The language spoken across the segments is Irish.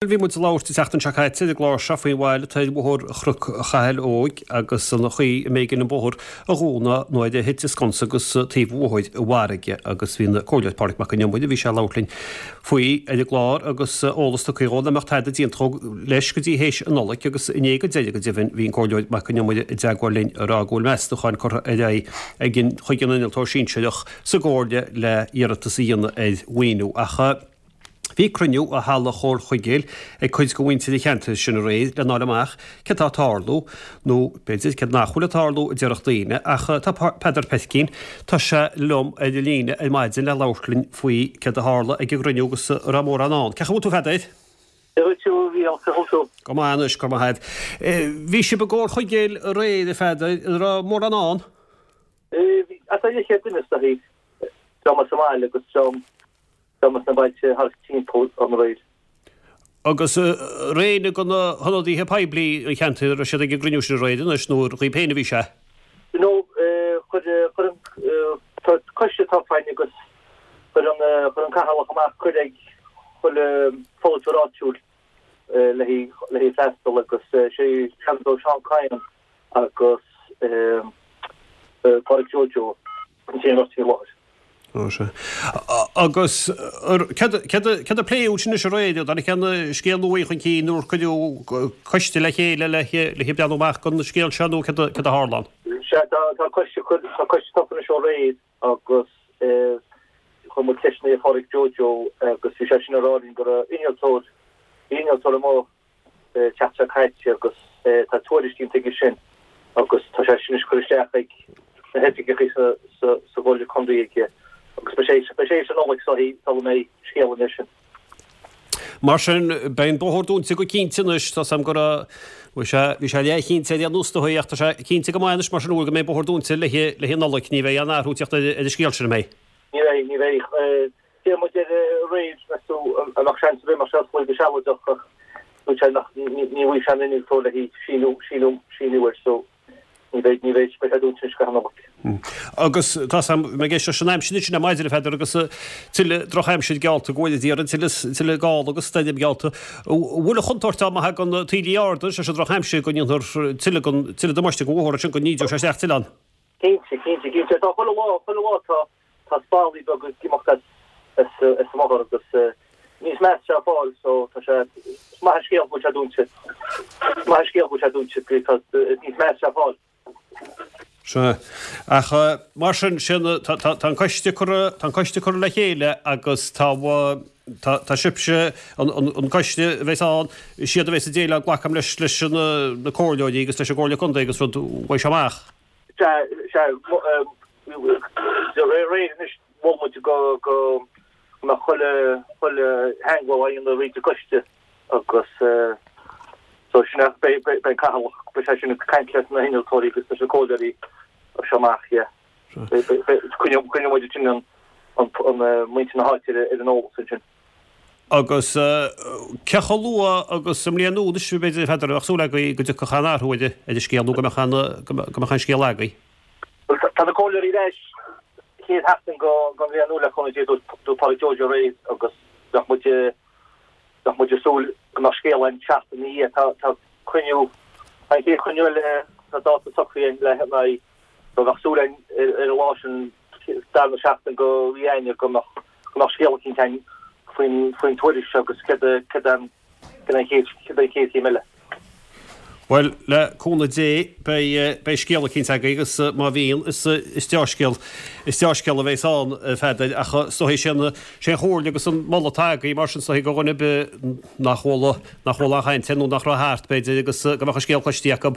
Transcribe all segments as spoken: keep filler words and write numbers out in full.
Bhí muid ag labhairt an tseachtain seo caite ar an gclár seo faoin bhail atá ar Bhóthar Chnoc Chathail Óig agus an chaoi a mb'éigean an bóthar a dhúnadh nuair a thit an sconsa agus taobh an bhóthair i bhfarraige agus bhí an Comhairleoir Pádraig Mac Con Iomaire, bhí sé ag labhairt linn faoi ar an gclár agus eolas tugtha dhó nach mbeadh tada déanta leis go dtí théis an Nollaig agus inné go deireadh go deimhin bhí an Comhairleoir Mac Con Iomaire i dteagmháil linn ag rá go bhfuil meastachán curtha ar aghaidh ag an chuig an innealtóir sinsearach sa gComhairle le iarratas a dhéanamh ar mhaoiniú ach Bhí cruinniú i Halla Chomhairle Chuigéil ag cuid de mhuintir an cheantair sin aréir le fháil amach céard tá ag tarlú, nó b'fhéidir céard nach bhfuil ag tarlú a déarfadh daoine, ach tá Peadar Peircín, tá sé liom ar an líne ar maidin le labhairt linn faoi céard a tharla ag an gcruinniú agus an raibh mórán ann. Cén chaoi a bhfuil tú a Pheadair? Dia dhuit a Mhícheáil, cén chaoi a bhfuil tú? Go maith anois, go raibh maith agat. Bhí sibh i gComhairle Chuigéil aréir a Pheadair, an raibh mórán ann? Bhí, thart ar leathchéad duine is dóichí, dream as an mbaile agus dream dream as na bailte thart timpeall aréir. Agus raibh éinne de na hionadaithe poiblí an cheantair, raibh siad ag an gcruinniú sin aréir anois nó ar dhaoib féin a bhí sé? No, chuir, chuir an, tá coiste tofa againn agus chuir an, chuir an Cathaoirleach amach cuireadh ag chuile pholaiteoir áitiúil le haghaidh, le haghaidh freastal agus sé Seanadóir Seán Kyne agus Pádraig Joe Joe an t-aon bheirt a bhí i láthair. Ó sea. Agus céard a pléadh ansin anois aréir? An dtáinig aon scéal nua chun cinn nó ar cuireadh coiste le chéile le breathnú amach don scéal seo nó céard a tharla ann? Sea, tá coiste tá coiste tofa anois ó aréir agus chuir muid ceisteanna ar Phádraig Joe Joe agus bhí sé sin ag rá linn go raibh innealtóir, bhí innealtóir amuigh an tseachtain seo caite agus tá tuairisc déanta aige sin agus tá sé sin anois curtha isteach ag na hoifigigh sa sa Chomhairle Contae aige agus beidh sé beidh sé sa Nollaig sula sula mbeidh scéal anois sin. Mar sin, beidh an bóthar dúnta go cinnte anois, tá 's a'm go raibh, bhí sé, bhí sé leathchinnte ar aon nós do ach tá sé cinnte go maith anois mar sin go mbeidh an bóthar dúnta le le Nollaig, ní bheidh aon athrú ag teacht ar an scéal sin, an mbeidh? Ní bheidh, ní bheidh. D'iarr muid air aréir, meas tú, an mbeadh seans ar bith go mbeadh sé oscailte go sealadach ach dúirt sé nach, ní bhfaighidh sé an innealtóir le haghaidh síniú, síniú, síniú air so ní bheidh, ní bheidh, beidh sé dúnta anois go an Nollaig. Agus tá 's a'm, mé ag éisteacht leis an aimsir ansin ar maidin a Pheadair agus tuilleadh drochaimsir geallta go bhfuil a d'iarraidh tuilleadh, tuilleadh gála agus stoirm geallta. An bhfuil an chontúirt ann má thagann taoillí arda leis an drochaimsir go ndéanfar tuilleadh den, tuilleadh damáiste don bhóthar ansin go n-ídeoidh sé isteach tuilleadh ann? Cinnte, cinnte, cinnte. Tá chuile lá, chuile lá tá, tá spallaí beaga ag imeacht as, as, as an mbóthar agus níos measa sé ag fáil so tá sé, is maith an scéal go bhfuil sé dúnta. Is maith an scéal go bhfuil sé dúnta, tá, níos measa sé ag fáil. Sea. Ach mar sin, sin, tá, tá, tá an coiste curtha, tá an coiste curtha le chéile agus tá, tá, tá sibhse, an, an, an coiste a bheas ann, is iad a bheas ag déileáil, glacaim leis, leis na, na comhairleoirí agus leis an gComhairle Contae agus rud, uaidh seo amach. Sea, sea, de réir réir anois mhol muid go go mbeadh chuile chuile theagmháil á dhéanamh thríd an gcoiste agus so sin é beidh beidh an Cathaoirleach beidh sé sin ag caint leis na hinnealtóirí agus leis na comhairleoirí as seo amach yeah. Beidh beidh beidh coinneoidh coinneoidh muid ansin an an an muintir na háite ar ar an eolas ansin. Agus cé chomh luath agus sa mbliain nua anois, b'fhéidir, a Pheadair, a bheadh súil agaibh go dtiocfadh aon athrú ar an scéal nó go mbeadh an, go mbeadh an scéal agaibh? Bhuel, tá na comhairleoirí ar ais chéad sheachtain den bhliain nua le cúnamh Dé, dúirt Pádraig Joe Joe aréir agus bheadh muid, bheadh muid ag súil go mbeadh scéal againn seachtain ina dhiaidh. Tá, tá cruinniú, tá an chéad chruinniú eile, tá dáta socraithe againn le haghaidh, so bheadh súil againn ar an lá sin, darna seachtain de mhí Eanáir go mbeadh, go mbeadh scéal eicínt againn faoin, faoin tuairisc seo agus céard a, céard an, céard an chéad, céard an chéad chéim eile. Bhuel, le cúnamh Dé, beidh, beidh scéal eicínt agaibh agus má bhíonn, is, is deá-scéal, is deá-scéal a bheas ann, a Pheadair, ach is dóichí sé an, sé an chomhairle agus an moladh atá agaibh mar sin, is dóichí do dhuine ar bith nach bhfuil, nach bhfuil aon chaint air nó nach raibh thart, b'fhéidir, agus go mbeadh an scéal cloiste acu,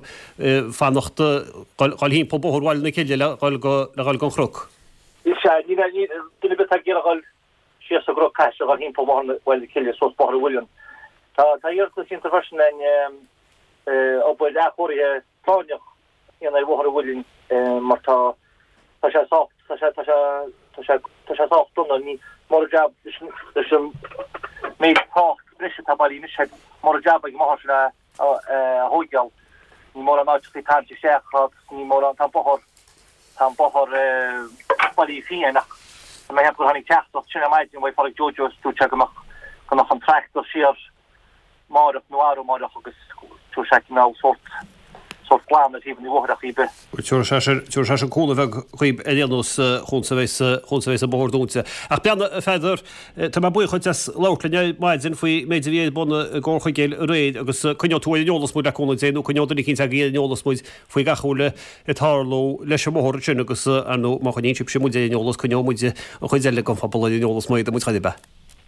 fanacht, dhul, dhul thimpeall Bóthar Bhaile na Cille le dhul go, le dhul gon Chnoc. Sea, ní bheidh, ní, duine ar bith atá ag iarraidh dhul síos an gCnoc caithfidh sé dhul thimpeall Bóthar Bhaile na Cille suas Bóthar an Mhuilinn. Tá, tá iarratas déanta freisin againn, obair athchóirithe práinneach a dhéanamh ar Bhóthar an Mhuilinn mar tá tá sé sách tá sé tá sé tá sé tá sé sách dona. Ní mór an jab leis an leis an méid trácht breise atá bailithe anois air, mór an jab ag an mbóthar sin a a thóigeáil. Ní mórán áiteachaí tarraingt isteach agus ní mórán tá an bóthar tá an bóthar bailithe fiáin ach tá mé ag ceapadh gur tháinig teachtaireacht sin ar maidin uaidh Phádraig Joe Joe is dúirt sé go mbeadh go mbeadh an tractor siar Máireach nó arú amáireach agus tabharfaidh sé cineál sórt sórt glan ar thaobh an bhóthair ar chaoi ar bith. Tabharfaidh sé tabharfaidh sé cúnamh bheag dhaoib ar aon nós chúns a bheas chúns a bheas an bóthar dúnta. Ach beanna a Pheadair, tá mé buíoch duit as labhairt linn ar maidin faoi méid a bhí ar bun i gComhar Chuigéil aréir agus coinneoidh tú ar an eolas muid le cúnamh Dé nó coinneoidh duine eicínt agaibh ar an eolas muid faoi gach a bhfuil ag tarlú leis an mbóthar sin agus ar ndóigh má choinníonn sibhse muid ar an eolas coinneoidh muid an chuid eile den phobal ar an eolas má fhéadann muid chor ar bith.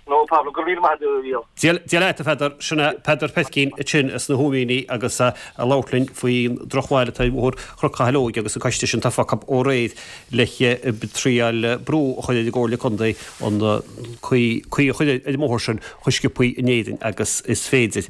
No problem, go raibh míle maith agat a Mhícheáil. Dia leat a Pheadair, sin é Peadar Petkín ansin as na hÓimíní agus ag labhairt linn faoin drochbhail atá ar bhóthar Chnoc Chathail Óig agus an coiste sin tofa acu ó aréir le triail brú a chur ar an gComhairle Contae an caoi caoi a chur ar an mbóthar sin chomh sciobthaí in Éirinn agus is féidir.